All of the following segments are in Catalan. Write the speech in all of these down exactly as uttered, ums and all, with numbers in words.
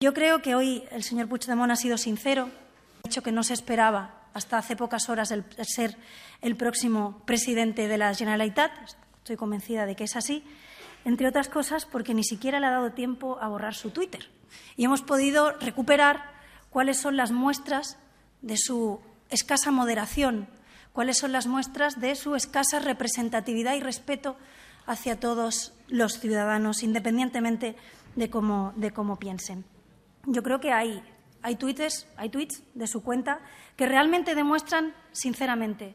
Yo creo que hoy el señor Puigdemont ha sido sincero, ha dicho que no se esperaba hasta hace pocas horas el ser el próximo presidente de la Generalitat. Estoy convencida de que es así, entre otras cosas porque ni siquiera le ha dado tiempo a borrar su Twitter. Y hemos podido recuperar cuáles son las muestras de su escasa moderación, cuáles son las muestras de su escasa representatividad y respeto hacia todos los ciudadanos, independientemente de cómo, de cómo piensen. Yo creo que hay, hay, tweets, hay tweets de su cuenta que realmente demuestran, sinceramente,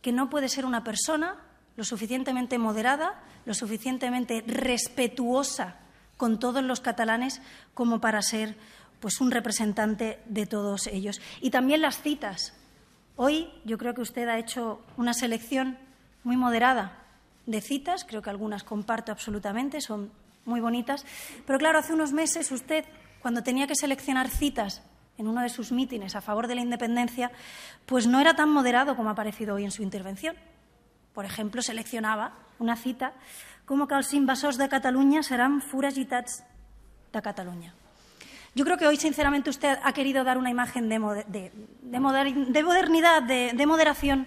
que no puede ser una persona lo suficientemente moderada, lo suficientemente respetuosa con todos los catalanes como para ser pues, un representante de todos ellos. Y también las citas. Hoy yo creo que usted ha hecho una selección muy moderada de citas, creo que algunas comparto absolutamente, son muy bonitas, pero claro, hace unos meses usted, cuando tenía que seleccionar citas en uno de sus mítines a favor de la independencia, pues no era tan moderado como ha parecido hoy en su intervención. Por ejemplo, seleccionaba una cita como que els invasors de Cataluña serán foragitats de Cataluña. Yo creo que hoy, sinceramente, usted ha querido dar una imagen de, de, de, moder, de modernidad, de, de moderación,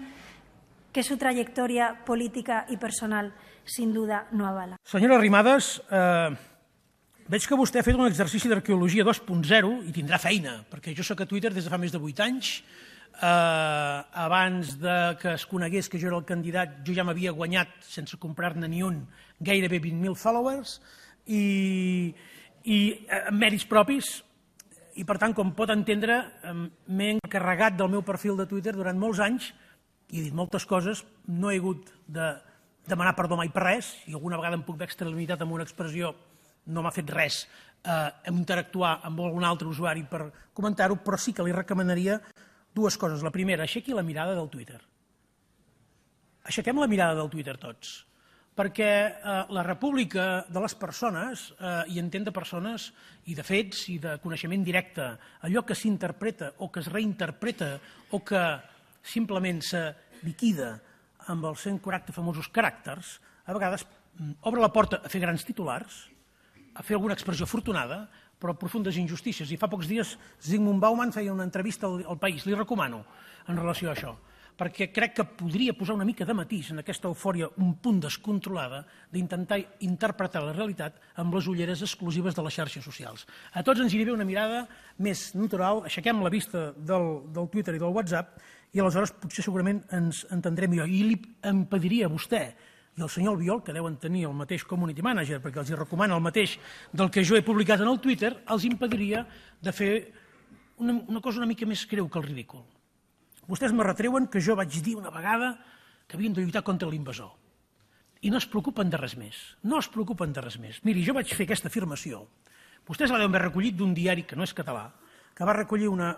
que su trayectoria política i personal, sin duda, no avala. Senyora Arrimadas, eh, veig que vostè ha fet un exercici d'arqueologia dos punt zero i tindrà feina, perquè jo soc a Twitter des de fa més de vuit anys. Eh, abans de que es conegués que jo era el candidat, jo ja m'havia guanyat, sense comprar-ne ni un, gairebé vint mil followers i, i amb mèrits propis. I, per tant, com pot entendre, m'he encarregat del meu perfil de Twitter durant molts anys i he dit moltes coses, no he hagut de demanar perdó mai per res, i alguna vegada em puc haver extralimitat amb una expressió, no m'ha fet res eh, interactuar amb algun altre usuari per comentar-ho, però sí que li recomanaria dues coses. La primera, aixequi la mirada del Twitter. Aixequem la mirada del Twitter tots, perquè eh, la república de les persones, eh, i entén de persones i de fets i de coneixement directe, allò que s'interpreta o que es reinterpreta o que simplement se liquida amb els cent quaranta famosos caràcters, a vegades obre la porta a fer grans titulars, a fer alguna expressió afortunada, però profundes injustícies. I fa pocs dies Zygmunt Bauman feia una entrevista al País, li recomano, en relació a això, perquè crec que podria posar una mica de matís en aquesta eufòria un punt descontrolada d'intentar interpretar la realitat amb les ulleres exclusives de les xarxes socials. A tots ens aniria bé una mirada més natural, aixequem la vista del, del Twitter i del WhatsApp i aleshores potser segurament ens entendrem millor. I li em pediria a vostè i al senyor Albiol, que deuen tenir el mateix community manager, perquè els recomana el mateix del que jo he publicat en el Twitter, els impediria de fer una, una cosa una mica més greu que el ridícul. Vostès me retreuen que jo vaig dir una vegada que havíem de lluitar contra l'invasor. I no es preocupen de res més. No es preocupen de res més. Miri, jo vaig fer aquesta afirmació. Vostès la deuen haver recollit d'un diari que no és català, que va recollir una,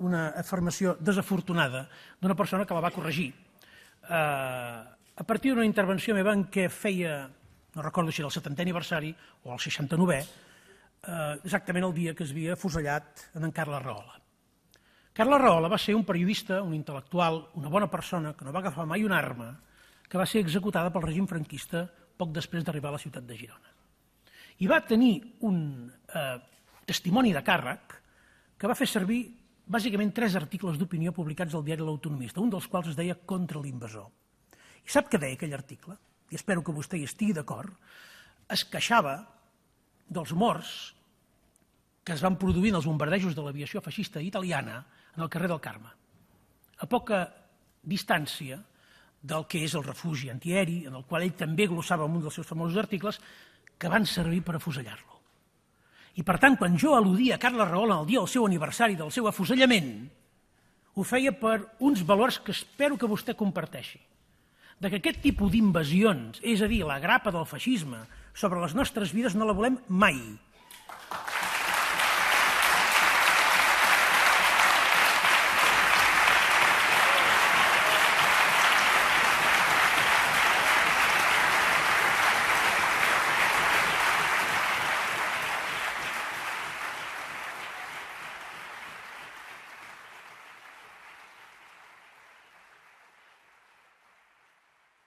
una afirmació desafortunada d'una persona que la va corregir. Eh, a partir d'una intervenció meva en què feia, no recordo si era el setantè aniversari o el seixanta-novè, eh, exactament el dia que es havia afusellat en Carles Rahola. Carles Rahola va ser un periodista, un intel·lectual, una bona persona, que no va agafar mai una arma, que va ser executada pel règim franquista poc després d'arribar a la ciutat de Girona. I va tenir un eh, testimoni de càrrec que va fer servir bàsicament tres articles d'opinió publicats al diari L'Autonomista, un dels quals es deia Contra l'invasor. I sap què deia aquell article? I espero que vostè hi estigui d'acord. Es queixava dels morts que es van produir en els bombardejos de l'aviació feixista italiana en el carrer del Carme, a poca distància del que és el refugi antiaeri, en el qual ell també glossava en un dels seus famosos articles, que van servir per afusellar-lo. I, per tant, quan jo al·ludia a Carles Rahola el dia del seu aniversari del seu afusellament, ho feia per uns valors que espero que vostè comparteixi. De que aquest tipus d'invasions, és a dir, la grapa del feixisme sobre les nostres vides, no la volem mai.